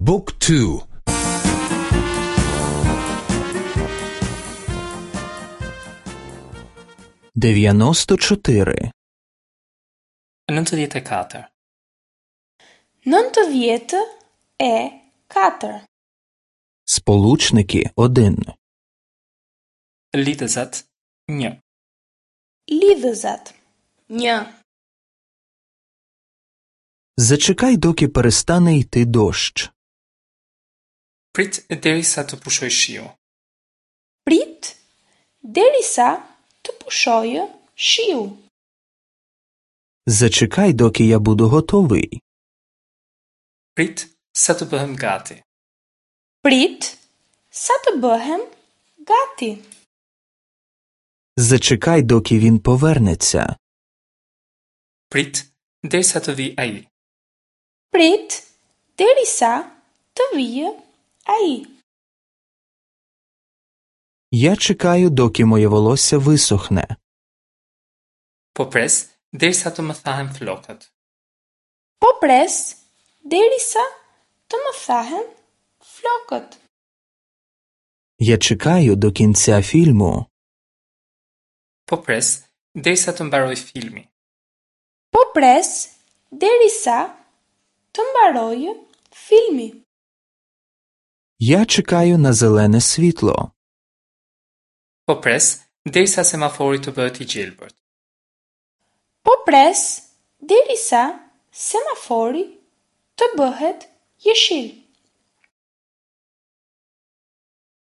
บุ๊กทู 94. 94. 94. Сполучники 1. Lidhëzat 1. Lidhëzat 1. Зачекай, доки перестане йти дощ. Prit derisa të pushojë shiu. Prit derisa të pushojë shiu. Зачекай, доки я буду готовий. Prit sa të bëhem gati. Prit sa të bëhem gati. Зачекай, доки він повернеться. Prit derisa të vijë ai. Prit derisa të vijë ai. Я чекаю, доки моє волосся висохне. Po pres derisa të më thahen flokët. Po pres derisa të më thahen flokët. Я чекаю до кінця фільму. Po pres derisa të mbarojë filmi. Po pres derisa të mbarojë filmi. Я чекаю на зелене світло. Po pres derisa semafori të bëhet i gjelbërt. Po pres derisa semafori të bëhet jeshil.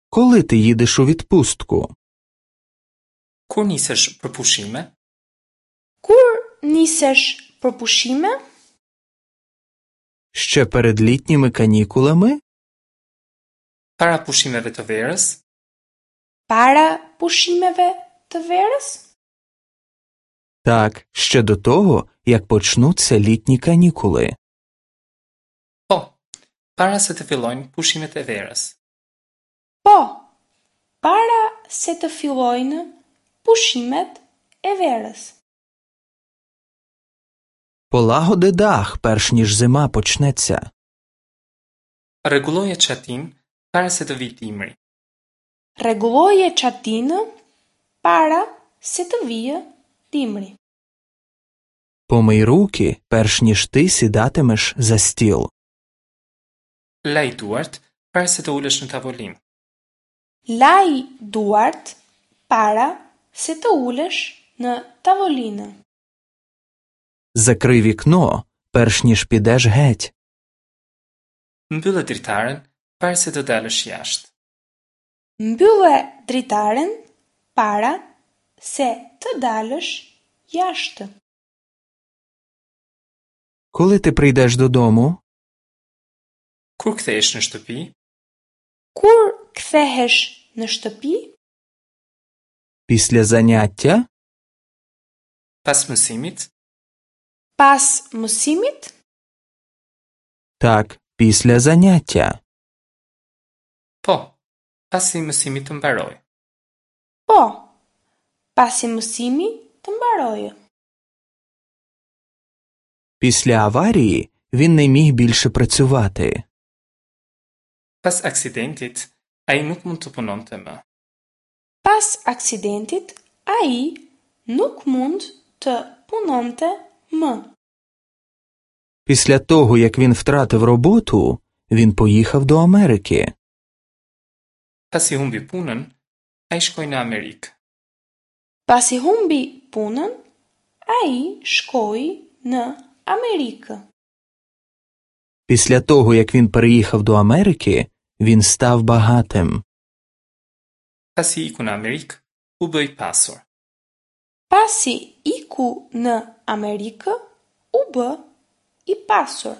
Коли ти їдеш у відпустку? Kur nisesh për pushime? Kur nisesh për pushime? Ще перед літніми канікулами? Para pushimeve të verës? Para pushimeve të verës? Так, ще до того, як почнуться літні канікули. Po, para se të fillojnë pushimet e verës. Po, para se të fillojnë pushimet e verës. Полагоди дах, перш ніж зима почнеться. Rregulloje çatinë para se të vijë dimri. Rregulloje çatinë para se të vijë dimri. Помий руки, перш ніж ти сідатимеш за стіл. Laj duart para se të ulesh në tavolinë. Laj duart para se të ulesh në tavolinë. Закрий вікно, перш ніж підеш геть. Mbyllë dritaren para se të dalësh jashtë. Mbylle dritaren para se të dalësh jashtë. Коли ти прийдеш додому? Kur kthehesh në shtëpi? Kur kthehesh në shtëpi? Після заняття? Pas mësimit? Pas mësimit? Так, після заняття. Po, pasi mësimi të mbarojë. Po, pasi mësimi të mbarojë. Після аварії він не міг більше працювати. Pas aksidentit, ai nuk mund të punonte më. Pas aksidentit, ai nuk mund të punonte më. Після того, як він втратив роботу, він поїхав до Америки. Pasi humbi punën, ai shkoi në Amerikë. Pasi humbi punën, ai shkoi në Amerikë. Після того, як він переїхав до Америки, він став багатим. Pasi iku në Amerikë, u bë i pasur. Pasi iku në Amerikë, u bë i pasur.